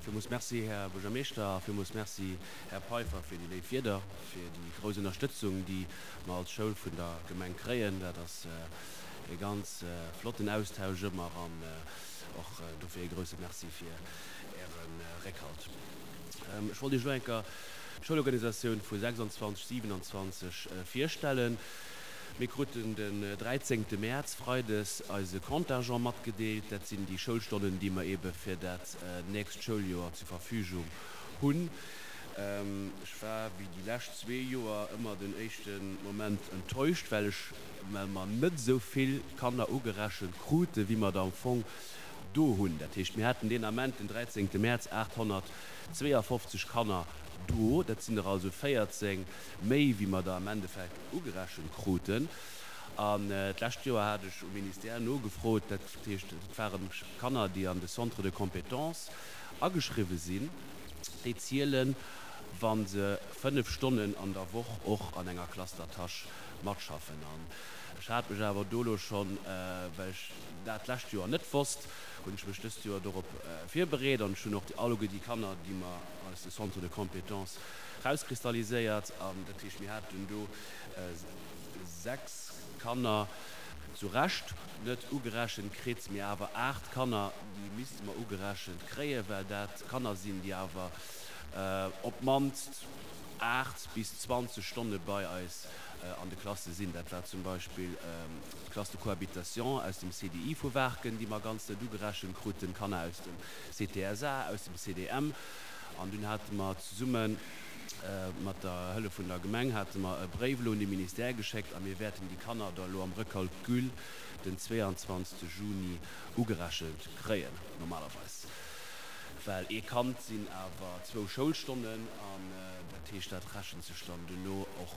Villmools Merci, Här Buergermeeschter, a villmools Merci, Här Peiffer, fir déi léif Wierder, fir déi grouss Ënnerstëtzung, déi mer als Schoul vun der Gemeng kréien. Dat ass e ganz flotten Austausch ëmmer an och dofir e grousse Merci fir Äre Réckhalt. Ech wollt Iech elo eng Kéier d'Schoulorganisatioun vu 26, 27 virstellen. Mir kruten den 13 Mäerz, freides, eise Contingent matgedeelt. Dat sinn déi Schoulstonnen, déi mer eebe fir dat nächst Schouljoer zur Verfügung hunn. Ech war, wéi déi lescht zwee Joer, ëmmer den éischte Moment enttäuscht, well ech, well mer net esou vill Kanner ugerechent krute wéi mer der am Fong do hunn. Dat heescht, mir haten deen Ament, den 13 Mäerz, 852 Kanner do. Dat sinn der also 14 méi wéi mer der am Endeffekt ugerechent kruten. An d'lescht Joer hat ech um Ministère nogefrot, dat heescht, et ware Kanner, déi an de Centre de compétences ageschriwwe sinn, déi zielen, wa se 5 Stonnen an der Woch och an enger Classe d'attache matschaffen. An ech hat mech awer do elo schonn, well ech dat d'lescht Joer net wosst, hunn ech mech dëst Joer dorop virbereet an ech hunn och alleguer déi Kanner, déi mer aus de Centres de compétences rauskristalliséiert an dat heescht, mir haten do 6 Kanner zu Recht net ugerechent kritt, mee awer 8 Kanner, déi misste mer ugerechent kréien, well dat Kanner sinn, déi awer op d'mannst 8 bis 20 Stonne bei eis an de Klasse sinn. Dat war zum Beispill d'Classe de cohabitation aus dem CDI vu Waarken, déi mer ganz net ugerechent kruten, Kanner aus dem CTSA, aus dem CDM. An dunn hate mer zesumme mat der Hëllef vun der Gemeng hate mer e Bréif elo un de Ministère geschéckt a mir wäerten déi Kanner da elo am Recalcul den 22 Juni ugerechent kréien, normalerweis. Well ee Kand sinn awer zwou Schoulstonnen an dat heescht, dat rechent sech dann duerno och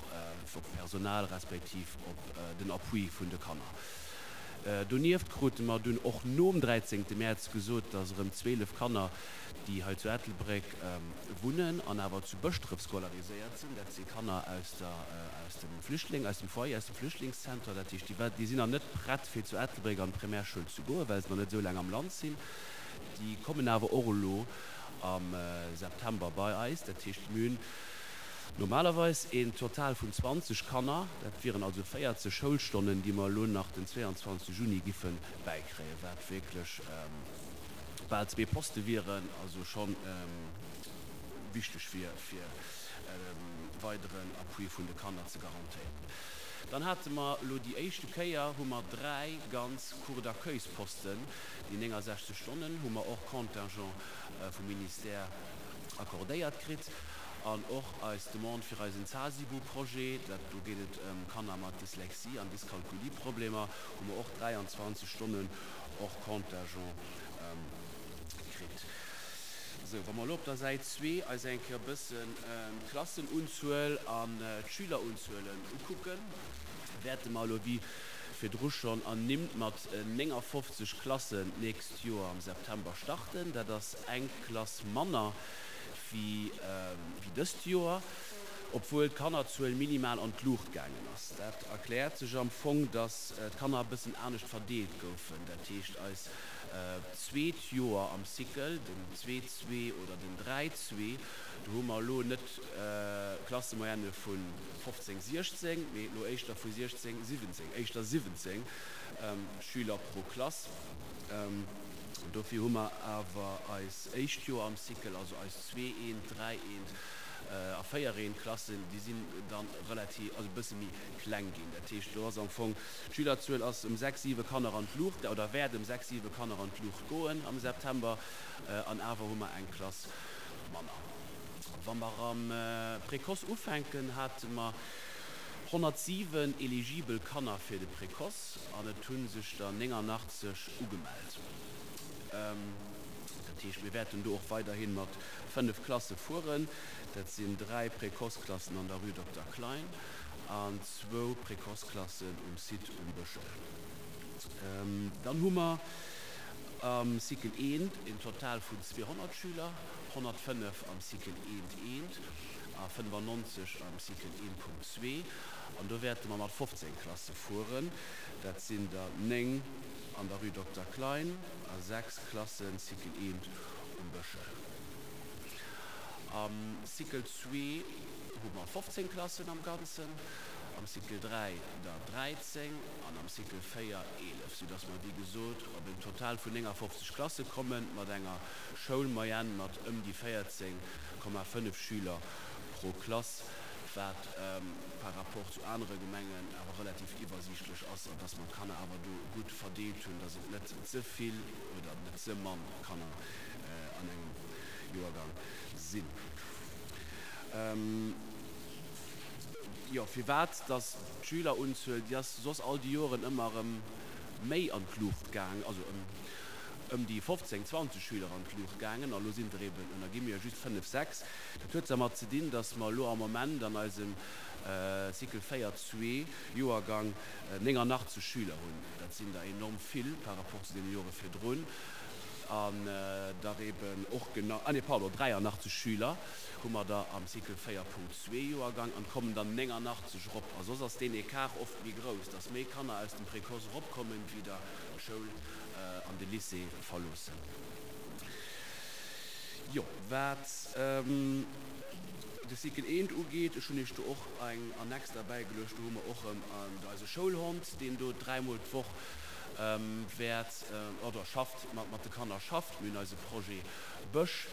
op d'Personal respektiv op den Appui vun de Kanner. Donieft krute mer dunn och nom 13 Mäerz gesot, dass erëm 12 Kanner, déi hei zu Ettelbréck wunnen an awer zu Bëschdref scolariséiert sinn, dat si Kanner aus der, aus dem Flüchtling, aus dem Foyer, aus dem Flüchtlingszenter, dat heescht, déi, déi sinn nach net prett fir zu Ettelbréck an d'Primärschoul ze goen, well se nach net esou laang am Land sinn. Déi kommen awer och elo am September bei eis. Dat heescht, mir hunn normalerweis een Total vun 20 Kanner, dat wieren also 40 Schoulstonnen, déi mer elo nach den 22 Juni giffe bäikréien, wat wierklech bal zwee Poste wieren, also scho wichteg wier, fir weideren Appui vun de Kanner ze garantéieren. Dann hate mer elo déi éischte Kéier hu mer dräi ganz Cours d'accueilsposten, déi 69 Stonnen hu mer och Contingent vum Ministère accordéiert kritt. An och eis Demande fir eisen Zasibu-Projet, dat do geet et ëm Kanner mat Dyslexie an Dyskalkulie-Problemer, hu mer och 23 Stonnen och Contingent kritt. Sou, wa mer elo op der Säit zwee eis eng Kéier e bëssen d'Klassenunzuel an d'Schülerunzuelen ukucken, wäerte mer elo wéi virdru schonn ernimmt mat 59 Klassen d'nächst Joer am September starten. Dat ass eng Klass manner wéi dëst Joer, obwuel d'Kannerzuel minimal an d'Luucht gaangen ass. Dat erkläert sech am Fong, datt d'Kanner e bëssen anescht verdeelt goufen. Dat heescht, eis zweet Joer am Cycle, den Zwee-Zwee oder den Dräi-Zwee, do hu mer elo net Klassemoyenne vu 15, 16, mee elo éischter vu 16, 17, éischter 17 Schüler pro Klass. Dofir hu mer awer eis éischt Joer am Cycle, also eis Zwee-Eent, Dräi-Eent a Véier-Eent-Klassen, déi sinn dann relativ, also e bësse méi kleng ginn. Dat heescht, do ass am Fong, d'Schülerzuel ass ëm sechs, siwe Kanner an d'Luucht, oder wäert ëm sechs, siwe Kanner an d'Luucht goen am September, an awer hu mer eng Klass manner. Wa mer am Précoce ufänken, hate mer 107 eligibel Kanner fir de Précoce an et hu sech der 89 ugemellt. Dat heescht, mir wäerten do och weiderhi mat 5 Klasse fueren. Dat sinn 3 Précoce-Klassen an der Rue Dokter Klein an zwou Précoce-Klassen um Site um Bëschel. Dann hu mer am Cycle eent een Total vun 200 Schüler, 105 am Cycle eent eent a 95 am Cycle 1.2. An do wäerte mer mat 15 Klasse fueren. Dat sinn der 9 an der Rue Dokter Klein a 6 Klassen Cycle eent um Bëschel. Am Cycle zwee hu mer 15 Klassen am Ganzen, am Cycle 3 der 13 an am Cycle 4 11, soudass mer wéi gesot op en Total vun 59 Klasse kommen, mat enger Schoulmoyenne mat ëm déi 14,5 Schüler pro Klass, wat par rapport zu anere Gemengen awer relativ iwwersiichtlech ass an dass mer d'Kanner awer do gutt verdeelt hunn, dass et net ze vill oder net ze mann Kanner an engem Joergang sinn. Jo, firwat dass d'Schülerunzuel, déi ass soss all déi Joren ëmmer erëm méi an d'Luucht gaang, also ëm ëm déi 15, 20 Schüler an d'Luucht gaangen, a lo sinn der eben, ënner gi mir, just 5, 6. Dat huet dermat ze dinn, dass mer elo am Moment an eisem Cycle 4, zwee Joergang 89 Schüler hunn. Dat sinn der enorm vill par rapport zu deene Jore virdrun. An der eben och genau, ah nee, pardon, 83 Schüler hu mer der am Cycle 4.2 Joergang an et kommen der 89 erop. A soss ass deen Ecart oft méi grouss, dass méi Kanner aus dem Précoce eropkommen, wéi der d'Schoul an de Lycée verloossen. Jo, wat de Cycle eent ugeet, ech hunn Iech do och eng Annex derbäigeluecht, do hu mer och erëm eise Schoulhond, deen do dräimol d'Woch wäert oder schafft, mat de Kanner schafft. Mir hunn eise Projet Bësch.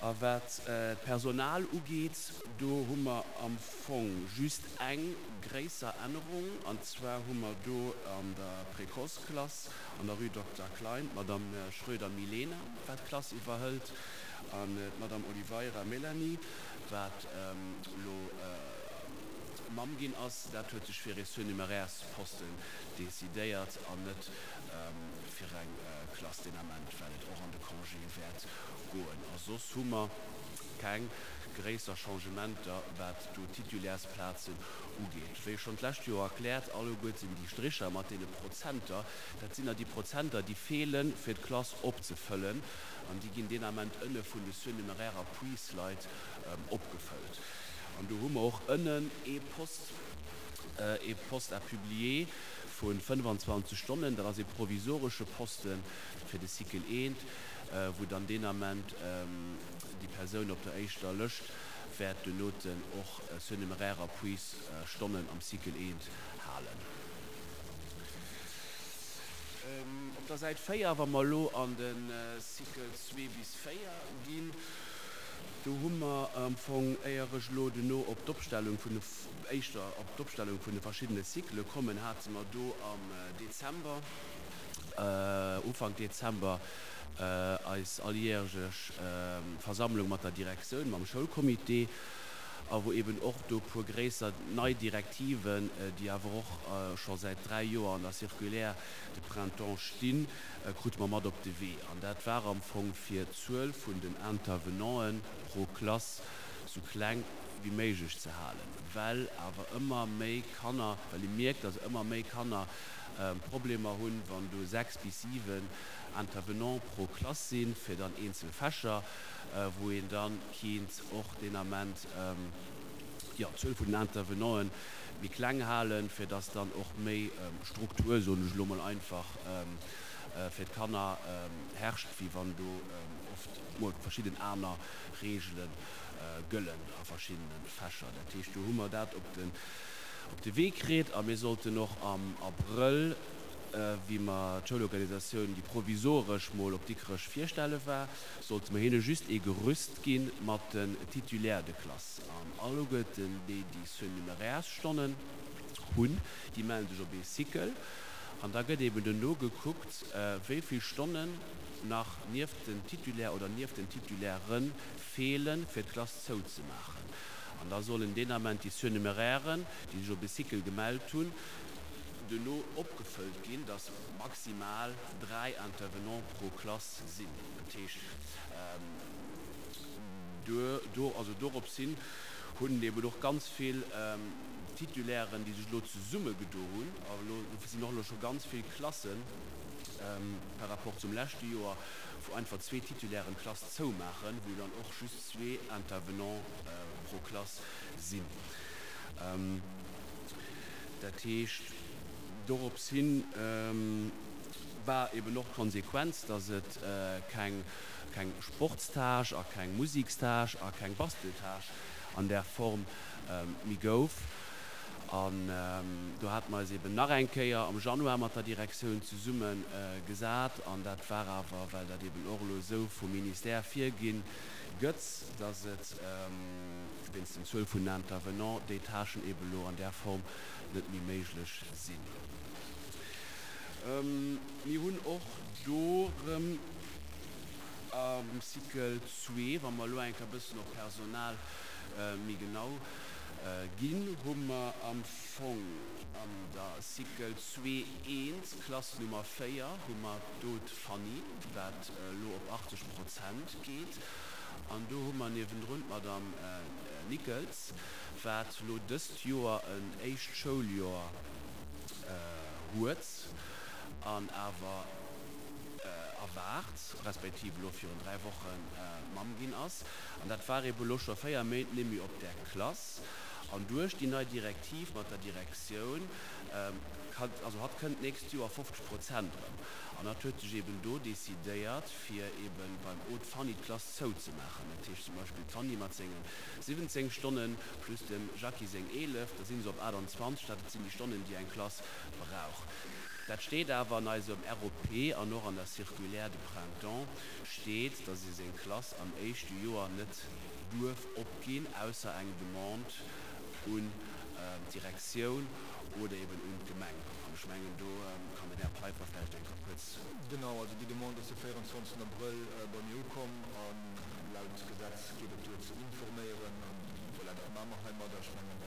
A wat d'Personal ugeet, do hu mer am Fong just eng gréisser Ännerung, an zwar hu mer do an der Précoce-Klass an der Rue Dokter Klein d'Madame Schröder Milena, wat d'Klass iwwerhëlt, an d'Madame Oliveira Mélanie, wat elo Mamm ginn ass. Dat huet sech fir ee Surnuméraires-Posten decidéiert an net fir eng Klass deen Ament, well et och an de Congé wäert goen. A soss hu mer keng gréisser Changementer, wat do d'Titulairsplazen ugeet. Wéi schonn d'lescht Joer erkläert, alleguerten déi Stricher mat deene Prozenter, dat sinn der déi Prozenter, déi feelen, fir d'Klass opzefëllen, an déi ginn deen Ament ënne vun de surnuméraire Appuisleit opgefëllt. An do hu mer och ënnen ee Post, ee Poste à publier vu 25 Stonnen, dat ass ee provisoresche Poste fir de Cycle I, wou dann deen Ament déi Persoun op der éischter Lëscht wäert duernoten och surnuméraire Appuis Stonnen am Cycle I halen. Op der Säit 4, wa mer elo an de Cycle 2 bis 4 ginn, do hu mer am Fong, éier ech elo duerno op d'Opstellung vun de, éischter op d'Opstellung vun de verschiddene Cyclë kommen, hate mer do am Dezember, Ufank Dezember, eis alljähreg Versammlung mat der Direktioun, mam Schoulcomité, a wou eben och do puer gréisser nei Direktiven, déi awer och scho säit 3 Joer an der Circulaire de printemps stinn, krute mer mat op de Wee. An dat war am Fong fir d'Zuel vun den Intervenanten pro Klass sou kleng wéi méiglech ze halen, well awer ëmmer méi Kanner, well ee mierkt, dass ëmmer méi Kanner Problemer hunn, wann do 6 bis 7 Intervenants pro Klass sinn, fir dann eenzel Fächer, wou een da kinnt och deen Ament, jo, d'Zuel vun den Intervenanten méi kleng halen, fir dass dann och méi Struktur, soen ech elo mol einfach, fir d'Kanner herrscht, wéi wann do oft mol verschidden aner Reegele gëllen a verschiddene Fächer. Dat heescht, do hu mer dat op de, op de Wee kritt a mir sollten och am Abrëll, wéi mer d'Schoulorganisatioun, déi provisoresch mol op Dikrech virstelle war, sollte mer hinne just ee Gerüst gi mat den Titulaires de classe. An alleguerten déi, déi Surnuméraires-Stonnen hunn, déi mellen sech op ee Cycle. An da gëtt eben duerno gekuckt, wéi vill Stonnen nach nieft den Titulaire oder nieft den Titulairen feelen, fir d'Klass zouzemaachen. An da sollen deen Ament déi Surnumerairen, déi sech op e Cycle gemellt hunn, duerno opgefëllt ginn, dass maximal 3 Intervenants pro Klass sinn. Dat heescht, do, also dorops hin hunn eben och ganz vill Titulairen, déi sech elo zesummegedo hunn, a elo sinn och elo scho ganz vill Klassen par rapport zum leschte Joer, wou einfach zwee Titulairen d'Klass zoumaachen, wou dann och just zwee Intervenants pro Klass sinn. Dat heescht, dorops hin. War eben och d'Konsequenz, dass et keng keng Sportstâche a keng Musikstâche a keng Basteltâche an där Form méi gouf. An do hate mer eis eben nach eng Kéier am Januar mat der Direktioun zesumme gesat. An dat war awer, well dat eben och elo esou vum Ministère virginn gëtt, dass et wéinst den Zuel vun den Intervenants déi Tâchen eben elo an där Form net méi méiglech sinn. Mir hunn och do erëm am Cycle zwee, wa mer elo eng Kéier e bëssen op Personal méi genau ginn, hu mer am Fong an der Cycle zwee eent, Klass Nummer 4, hu mer do d'Fanny, wat elo op 80 Prozent geet. An do hu mer niewendrun d'Madame Nickels, wat elo dëst Joer en éischt Schouljoer huet an awer erwaart, respektiv elo virun 3 Woche Mamm ginn ass. An dat war ebe elo scho 4 Méint nemmi op där Klass. An duerch déi nei Direktiv mat der Direktioun, also hatt kënnt d'nächst Joer 50 Prozent erëm. An hatt huet sech eben do decidéiert, fir ebe beim Aude Fanny d'Klass zouzemaachen. Dat heescht zum Beispill d'Fanny mat senge 17 Stonnen plus dem Jackie seng 11, da si se op 28, dat sinn déi Stonnen, déi eng Klass brauch. Dat steet awer an eisem ROP an och an der Circulaire de printemps steet, dass ee seng Klass am éischte Joer net duerf opginn, ausser eng Demande un d'Direktioun oder eben un d'Gemeng. An ech mengen, do kann den Här Peiffer vläicht eng Kéier kuerz. Genau, also déi Demande ass de 24 Abrëll bei mir ukomm a laut Gesetz geet et duer ze informéieren. An voilà, dat maache mer heimadder. Ech mengen,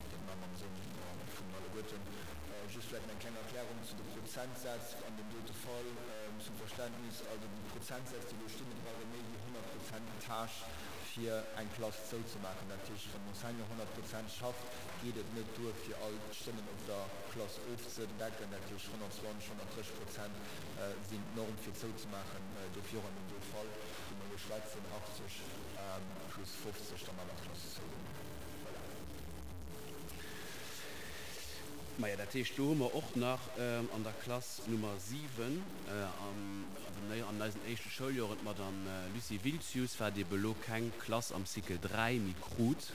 dat maache mer am Sënn vun alleguerten. Just vläicht nach eng kleng Erklärung zu de Prozentsätz an deem dote Fall zum Verständnis. Also déi Prozentsätz, déi do stinn, et brauch ee méi wéi 100 Prozent Tâche, fir eng Klass zouzemaachen. Dat heescht, wann den Enseignant 100 Prozent schafft, geet et net duer, fir all d'Stonnen op der Klass ofzedecken. Dat heescht, 120, 130 Prozent sinn d'Norm, fir zouzemaachen. Dofir och an deem do Fall, wou mer elo schwätzen, 80 plus 50, da maache mer d'Klass zou. Voilà. Maja, dat heescht, do hu mer och nach an der Klass Nummer 7, an eisen éischte Schouljoren, d'Madame Lucie Wiltzius, wat ebe elo keng Klass am Cycle 3 méi krut,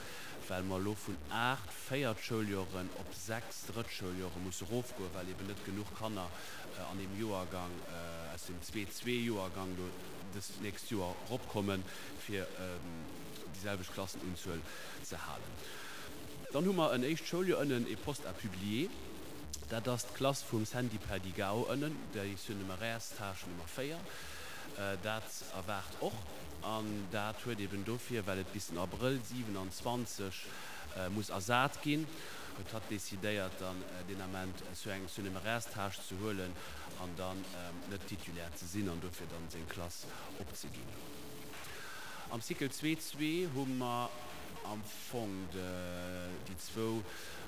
well mer elo vun 8 Véiertschouljoren op 6 Drëttschouljoren musse erofgoen, well eben net genuch Kanner an deem Joergang, aus dem Zwee-Zwee-Joergang do dëst nächst Joer eropkommen, fir déi selwecht Klassenunzuel ze halen. Dann hu mer en éischt Schouljoer ënnen e Poste à publier. Dat ass d'Klass vum Sandy Perdigao ënnen, déi Surnuméraires-Tâche Nummer 4. Dat erwaart och, an dat huet eben dofir, well et bis den Abrëll 27 muss ersat ginn, huet hatt decidéiert, dann deen Ament sur eng Surnuméraires-Tâche ze huelen an dann net Titulaire ze sinn an dofir dann seng Klass opzeginn. Am Cycle zwee hu mer am Fong déi zwou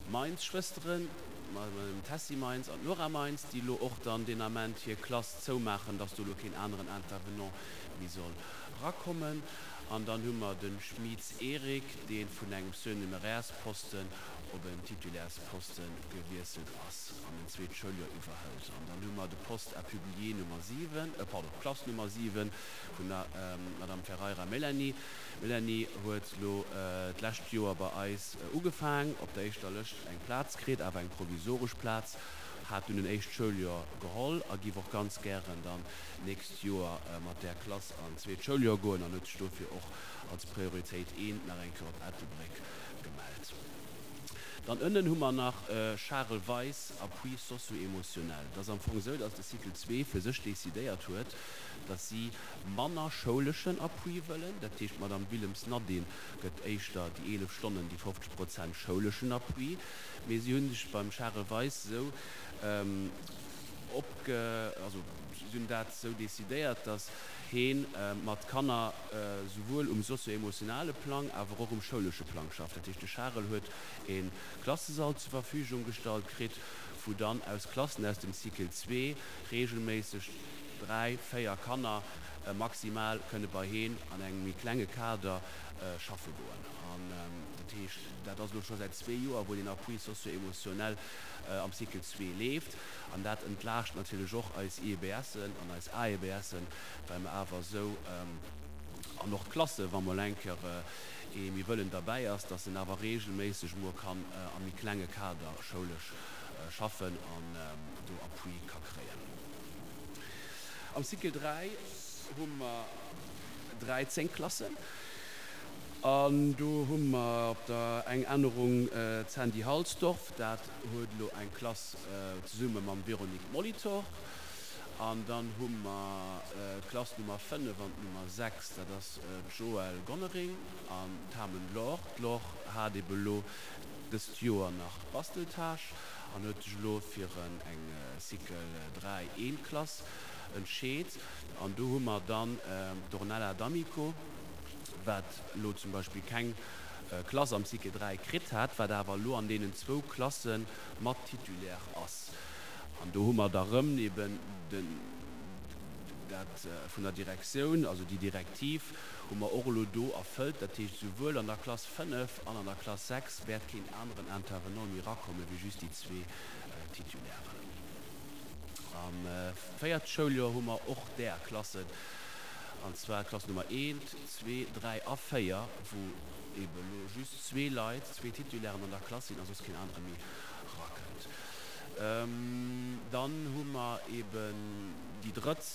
Meins-Schwësteren, d'Madame Tessy Meins an d'Nora Meins, déi elo och dann deen Ament hir Klass zoumaachen, dass do elo keen aneren Intervenant méi soll rakommen. An dann hu mer de Schmieds Eric, dee vun engem Surnuméraires-Posten op en Titulaires-Poste gewiesselt ass an en zweet Schouljoer iwwerhëlt. An dann hu mer de Poste à publier Nummer 7, pardon, d'Klass Nummer 7 vun der Madame Ferreira Mélanie. D'Mélanie huet lo d'lescht Joer bei eis ugefaang, op der éischter Lëscht eng Plaz kritt, awer eng provisoresch Plaz, hat dunn en éischt Schouljoer geholl a giff och ganz gären dann d'nächst Joer mat där Klass an d'zweet Schouljoer goen an huet sech dofir och als Prioritéit eent nach eng Kéier op Ettelbréck gemellt. Dann ënnen hu mer nach Charel Weis, Appui socio-émotionnel. Et ass am Fong esou, dass de Cycle zwee fir sech decidéiert huet, dass si manner schouleschen Appui wëllen. Dat heescht, d'Madame Willems Nadine gëtt éischter déi 11 Stonnen, déi 50 Prozent schouleschen Appui. Mee si hu sech beim Charel Weis esou opge-, also si hunn dat esou decidéiert, dass hee mat Kanner souwuel um socio-emotionale Plang, awer och um schoulesche Plang schafft. Dat heescht, de Charel huet e Klassesall zur Verfügung gestallt kritt, wou dann aus Klassen aus dem Cycle zwee regelméisseg 3, 4 Kanner maximal kënne bei heen an engem méi klenge Kader schaffe goen. An. Dat heescht, dat ass elo scho säit zwee Joer, wou deen Appui socio-émotionnel am Cycle zwee leeft. An dat entlaascht natierlech och eis IEBSen an eis AEBSen, well mer awer esou, an och d'Klasse wa mol eng Kéier ee méi wëllen derbäi ass, dass en awer regelméisseg mol kann am méi klenge Kader schoulesch schaffen an do Appui ka kréien. Am Cycle 3 hu mer 13 Klassen an do hu mer op der eng Ännerung d'Sandy Halsdorf, dat huet elo eng Klass zesumme mam Véronique Molitor. An dann hu mer d'Klass Nummer 5 an d'Nummer 6, dat ass d'Joëlle Gonnering an d'Hamen Laure. D'Laure hat ebe lo dëst Joer nach d'Basteltâche an huet sech elo fir eng Cycle 3 eent Klass entscheet. An do hu mer dann d'Ornella D'Amico, wat elo zum Beispill keng Klass am Cycle 3 kritt hat, wat awer elo an deenen zwou Klasse mat Titulaire ass. An do hu mer da rëm eben den, dat vun der Direktioun, also déi Direktiv hu mer och elo do erfëllt. Dat heescht, souwuel an der Klass 5 an an der Klass 6 wäert keen aneren Intervenant méi erakomme wéi just déi zwee Titulairen. Am véierte Schouljoer hu mer och där Klassen, an zwar d'Klass Nummer eent, zwee, dräi a véier, wou ebe elo just zwee Leit, zwee Titulairen an der Klass sinn a soss keen anere méi erakënnt. Dann hu mer eben déi drëtt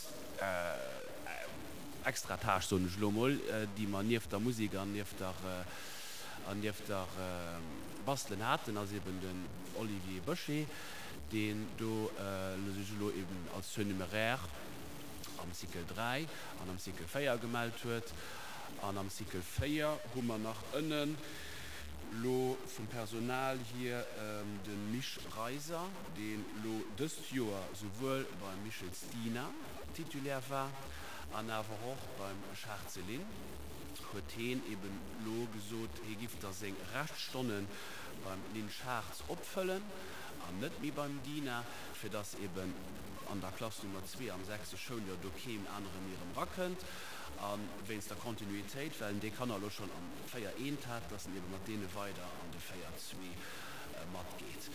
extra Tâche, soen ech elo emol, déi mer nieft der Musek an nieft der, an nieft der Bastelen haten, ass eben den Olivier Böché, deen do sech elo eben als Surnuméraire am Cycle 3 an am Cycle 4 gemellt huet. An am Cycle 4 hu mer nach ënnen lo vum Personal hier de Misch Reiser, deen lo dëst Joer souwuel beim Michels Dina Titulaire war an awer och beim Schartze Lynn, huet heen eben lo gesot, hee giff da seng Reschtstonne beim Lynn Schartz opfëllen an net méi beim Dina, fir dass eben an der Klass Nummer zwee am sechste Schouljoer do keen anere méi erëm rakënnt. A wéinst der Kontinuitéit, well en déi Kanner elo schonn am 4 eent hat, dass en ebe mat deene weider an de 4 zwee matgeet.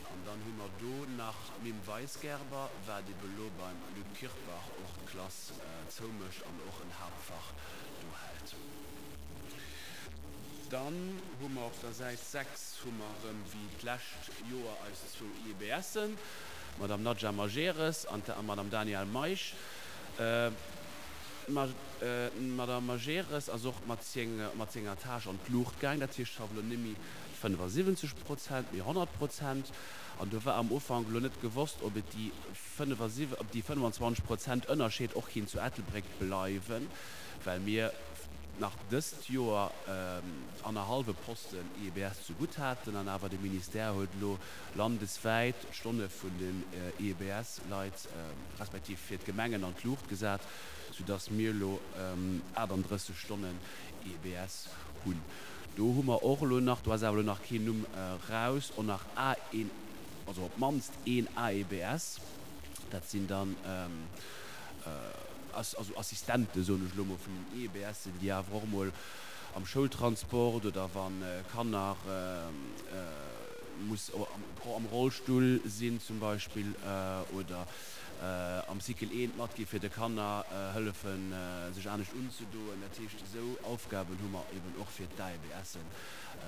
An dann hu mer do nach d'Mim Weisgerber, wat ebe elo beim Luc Kirpach och d'Klass zoumécht an och en Haaptfach do hält. Dann hu mer op der Säit 6 hu mer erëm wéi d'lescht Joer eis zwou IEBSen, d'Madame Nadja Majeres an d'Madame Danielle Meisch. D'Madame Majeres ass och mat senger Tâche an d'Luucht gaang. Dat heescht, schafft elo net méi 75 Prozent, mee 100 Prozent. An do war am Ufank elo net gewosst, ob et déi 25 Prozent Ënnerscheed och kinnt zu Ettelbréck bleiwen, well mir nach dëst Joer annerhallwe Posten IEBS zegutt haten. An awer de Ministère huet elo landeswäit d'Stonne vun den IEBS-Leit respektiv fir d'Gemengen an d'Luucht gesat, soudass mir elo 38 Stonnen IEBS hunn. Do hu mer och elo nach, do ass awer elo nach keen Numm raus, och nach een, also op d'mannst een AEBS, dat sinn dann also Assistente soen ech elo mol vun den IEBSen, déi awer och emol am Schoultransport oder wa Kanner muss am Rollstull sinn zum Beispill oder am Cycle eent matgi fir de Kanner hëllefen sech anescht unzedoen. Dat heescht esou Aufgaben hu mer eben och fir d'AEBSen,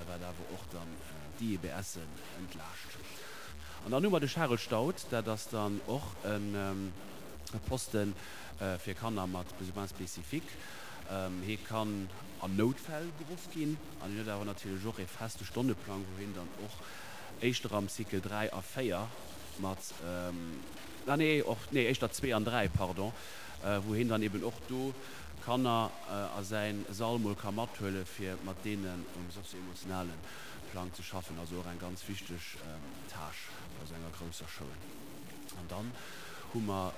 wat awer och dann d'IEBSen entlaascht. An dann hu mer de Charel Staudt, dat ass dann och e Poste fir Kanner mat Besoins spécifiques. Hie kann an Noutfäll geruff ginn an hien huet awer natierlech och ee feste Stonneplang, wou hien dann och éischter am Cycle 3 a 4 mat, ah nee, och, nee, éischter 2 an 3, pardon, wou hien dann eben och do Kanner a säi Sall mol ka mathuele fir mat deenen um sozio-emotionale Plang ze schaffen. Also och eng ganz wichteg Tâche bei esou enger grousser Schoul. An dann hu mer,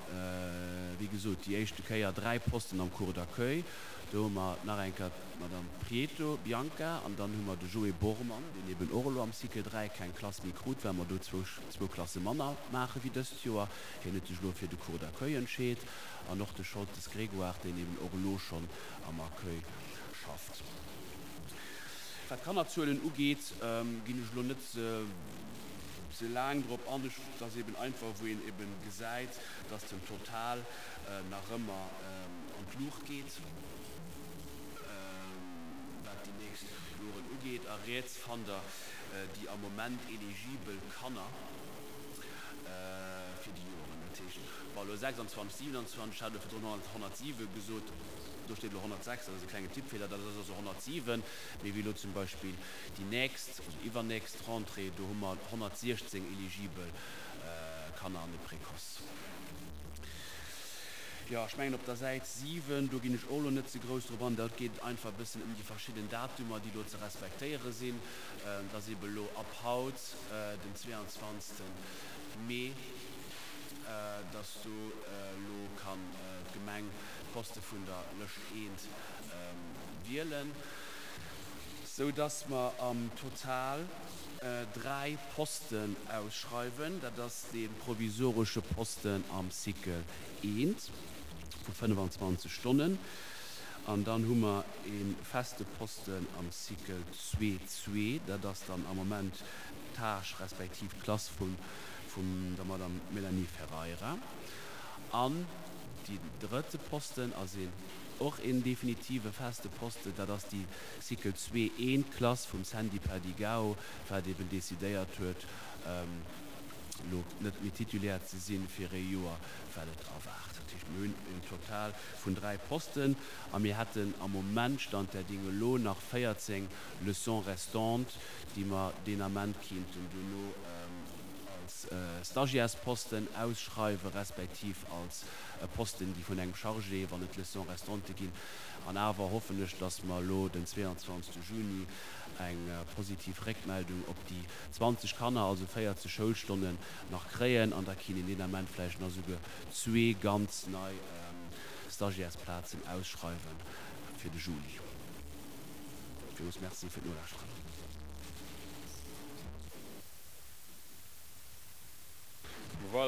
wéi gesot, déi éischte Kéier 3 Posten am Cours d'accueil. Do hu mer nach eng Kéier d'Madame Prieto Bianca an dann hu mer de Joé Bormann, deen eben och elo am Cycle 3 keng Klass méi krut, well mer do zwou Klasse manner maache wéi dëst Joer. Hien huet sech elo fir de Cours d'accueil entscheet. An och de Scholtes Grégoire, deen eben och elo schonn am Accueil schafft. Wat d'Kannerzuelen ugeet, ginn ech elo net ze laang drop an. Ech, et ass eben einfach, wou een eben gesäit, dass den Total nach ëmmer an d'Luucht geet, wat déi nächst Joren ugeet. A riets fannt Der déi am Moment eligibel Kanner fir déi Joren. Dat heescht, wa elo 26, 27, ech hat elo virdrun 107 gesot, do steet elo 106, dat ass e klengen Tippfeeler, dat ass also 107, mee wéi elo zum Beispill déi nächst, also iwwernächst Rentrée, do hu mer 116 eligibel Kanner an de Précoce. Jo, ech mengen op der Säit 7, do ginn ech och elo net ze grouss drop an, dat geet einfach e bëssen ëm déi verschidden Datumer, déi elo ze respektéiere sinn. Et ass eebe elo ab haut, den 22. Mee, dass do elo kann d'Gemeng d'Poste vun der Lëscht eent wielen, sou dass mer am Total 3 Posten ausschreiwen. Dat ass dee provisoresche Posten am Cycle eent vu 25 Stonnen an dann hu mer e feste Posten am Cycle zwee zwee. Dat ass dann am Moment d'Tâche respektiv d'Klass vun der Madame Mélanie Ferreira. An deen drëtte Posten ass een och een definitive feste Posten, dat ass déi Cycle zwee eent Klass vum Sandy Perdigao, wat eben decidéiert huet, elo net méi Titulaire ze sinn fir ee Joer, well et erwaart. Dat heescht, mir hunn en Total vun 3 Posten a mir hätten am Moment, Stand der Dinge elo, nach 14 Leçons restantes, déi mer deen Ament kéinten duerno als Stagiairesposten ausschreiwen, respektiv als Posten, déi vun engem Chargé, wann et Leçons restantes ginn. An awer hoffen ech, dass mer elo den 22 Juni eng positiv Réckmeldung op déi 20 Kanner, also 40 Schoulstonnen, nach kréien an da kinn een deen Ament vläicht nach esouguer zwee ganz nei Stagiairesplazen ausschreiwe fir de Juli. Villmools Merci fir d'Nolauschteren.